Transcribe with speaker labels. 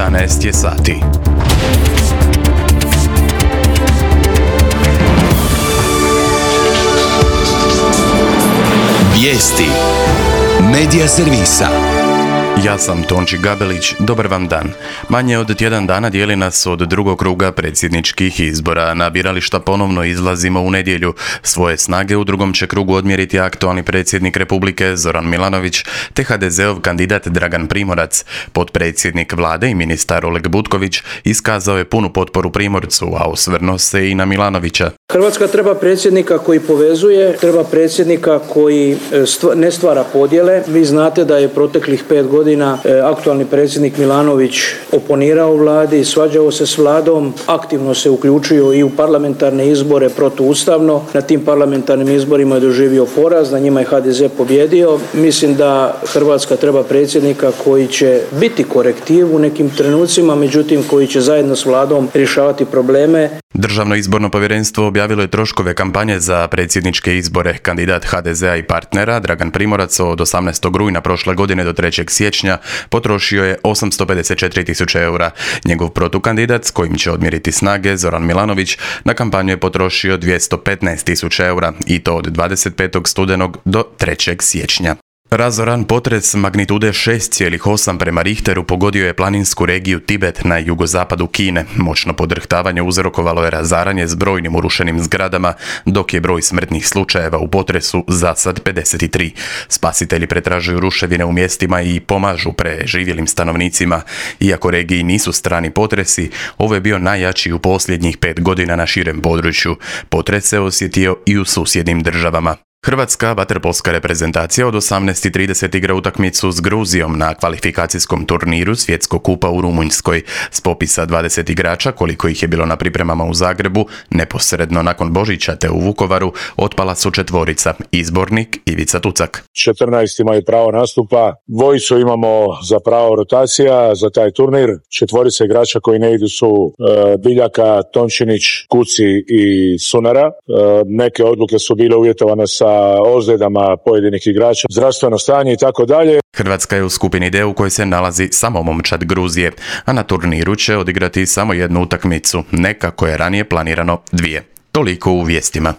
Speaker 1: 11 je sati.
Speaker 2: Vijesti Medija servisa.
Speaker 1: Ja sam Tonči Gabelić, dobar vam dan. Manje od tjedan dana dijeli nas od drugog kruga predsjedničkih izbora. Na birališta ponovno izlazimo u nedjelju. Svoje snage u drugom će krugu odmjeriti aktualni predsjednik Republike Zoran Milanović te HDZ-ov kandidat Dragan Primorac. Potpredsjednik vlade i ministar Oleg Butković iskazao je punu potporu Primorcu, a osvrnuo se i na Milanovića.
Speaker 3: Hrvatska treba predsjednika koji povezuje, treba predsjednika koji ne stvara podjele. Vi znate da je proteklih 5 godina aktualni predsjednik Milanović oponirao vladi, svađao se s vladom, aktivno se uključio i u parlamentarne izbore protuustavno. Na tim parlamentarnim izborima je doživio poraz, na njima je HDZ pobjedio. Mislim da Hrvatska treba predsjednika koji će biti korektiv u nekim trenucima, međutim koji će zajedno s vladom rješavati probleme.
Speaker 1: Državno izborno povjerenstvo objavilo je troškove kampanje za predsjedničke izbore. Kandidat HDZ-a i partnera Dragan Primorac od 18. rujna prošle godine do 3. siječnja potrošio je 854.000 eura. Njegov protukandidat s kojim će odmjeriti snage Zoran Milanović na kampanju je potrošio 215.000 eura i to od 25. studenog do 3. siječnja. Razoran potres magnitude 6,8 prema Richteru pogodio je planinsku regiju Tibet na jugozapadu Kine. Moćno podrhtavanje uzrokovalo je razaranje s brojnim urušenim zgradama, dok je broj smrtnih slučajeva u potresu za sad 53. Spasitelji pretražuju ruševine u mjestima i pomažu preživjelim stanovnicima. Iako regiji nisu strani potresi, ovo je bio najjači u posljednjih 5 godina na širem području. Potres se osjetio i u susjednim državama. Hrvatska vaterpolska reprezentacija od 18:30 igra utakmicu s Gruzijom na kvalifikacijskom turniru Svjetskog kupa u Rumunjskoj. S popisa 20 igrača, koliko ih je bilo na pripremama u Zagrebu, neposredno nakon Božića te u Vukovaru, otpala su 4. Izbornik Ivica Tucak.
Speaker 4: 14 imaju pravo nastupa, 2 imamo za pravo rotacija za taj turnir. 4 igrača koji ne idu su Biljaka, Tončinić, Kuci i Sunara. Neke odluke su bile uvjetovane sa ozljedama pojedinih igrača, zdravstveno stanje i tako dalje.
Speaker 1: Hrvatska je u skupini D u kojoj se nalazi samo momčad Gruzije, a na turniru će odigrati samo jednu utakmicu, ne kako je ranije planirano 2. Toliko u vijestima.